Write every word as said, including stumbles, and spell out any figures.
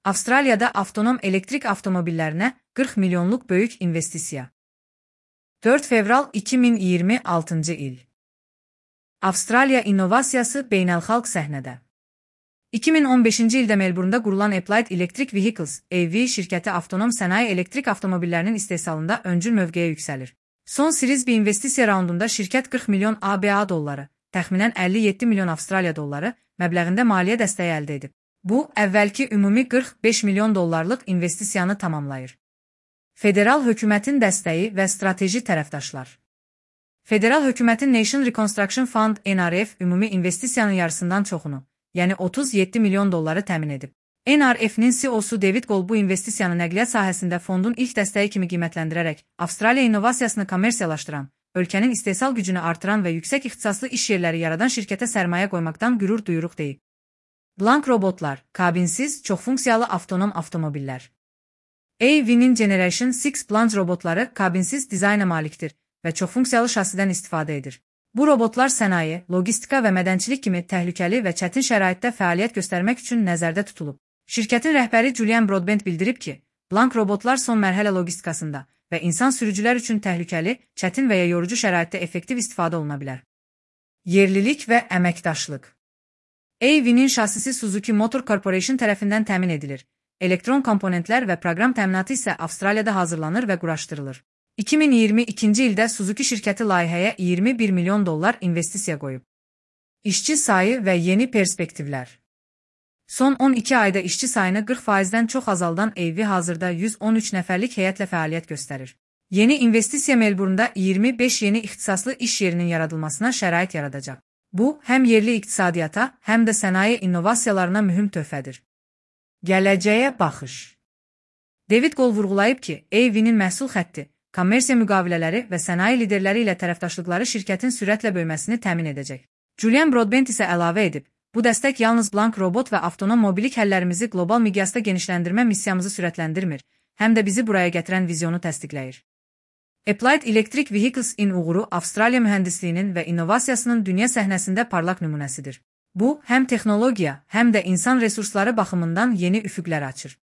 Avstraliyada avtonom elektrik avtomobillərinə qırx milyonluq böyük investisiya. dörd fevral iki min iyirmi altıncı il. Avstraliya innovasiyası beynəlxalq səhnədə. iki min on beşinci ildə Melbourne'da qurulan Applied Electric Vehicles (A V) şirkəti avtonom sənaye elektrik avtomobillərinin istehsalında öncül mövqeyə yüksəlir. Son Series B investisiya raundunda şirkət qırx milyon A B A dolları, təxminən əlli yeddi milyon Avstraliya dolları məbləğində maliyyə dəstəyi əldə edib. Bu, əvvəlki ümumi qırx beş milyon dollarlıq investisiyanı tamamlayır. Federal hökumətin dəstəyi və strateji tərəfdaşlar. Federal hökumətin Nation Reconstruction Fund (N R F) ümumi investisiyanın yarısından çoxunu, yəni otuz yeddi milyon dolları təmin edib. N R F-nin C E O-su David Gold bu investisiyanı nəqliyyat sahəsində fondun ilk dəstəyi kimi qiymətləndirərək, Avstraliya innovasiyasını kommersiyalaşdıran, ölkənin istehsal gücünü artıran və yüksək ixtisaslı iş yerləri yaradan şirkətə sərmayə qoymaqdan qürur duyuruq deyib. Blank robotlar, kabinsiz, çoxfunksiyalı avtonom avtomobillər. A V'nin Generation altı Blank robotları kabinsiz dizayna malikdir və çoxfunksiyalı şasidən istifadə edir. Bu robotlar sənaye, logistika və mədənçilik kimi təhlükəli və çətin şəraitdə fəaliyyət göstərmək üçün nəzərdə tutulub. Şirkətin rəhbəri Julian Broadbent bildirib ki, Blank robotlar son mərhələ logistikasında və insan sürücülər üçün təhlükəli, çətin və ya yorucu şəraitdə effektiv istifadə oluna bilər. Yerlilik və əməkdaşlıq. A V'nin şasisi Suzuki Motor Corporation tərəfindən təmin edilir. Elektron komponentlər və proqram təminatı isə Avstraliyada hazırlanır və quraşdırılır. iki min iyirmi ikinci ildə Suzuki şirkəti layihəyə iyirmi bir milyon dollar investisiya qoyub. İşçi sayı və yeni perspektivlər. Son on iki ayda işçi sayını qırx faizdən çox azaldan A V hazırda yüz on üç nəfərlik heyətlə fəaliyyət göstərir. Yeni investisiya Melbourne'da iyirmi beş yeni ixtisaslı iş yerinin yaradılmasına şərait yaradacaq. Bu, həm yerli iqtisadiyyata, həm də sənaye innovasiyalarına mühüm töhfədir. Gələcəyə baxış. David Gold vurğulayıb ki, A V'nin məhsul xətti, kommersiya müqavilələri və sənaye liderləri ilə tərəfdaşlıqları şirkətin sürətlə böyüməsini təmin edəcək. Julian Broadbent isə əlavə edib, bu dəstək yalnız Blank robot və avtonom mobilik həllərimizi qlobal miqyasda genişləndirmə missiyamızı sürətləndirmir, həm də bizi buraya gətirən vizyonu təsdiqləyir. Applied Electric Vehicles-in uğuru Avstraliya mühəndisliyinin və innovasiyasının dünya səhnəsində parlaq nümunəsidir. Bu, həm texnologiya, həm də insan resursları baxımından yeni üfüqlər açır.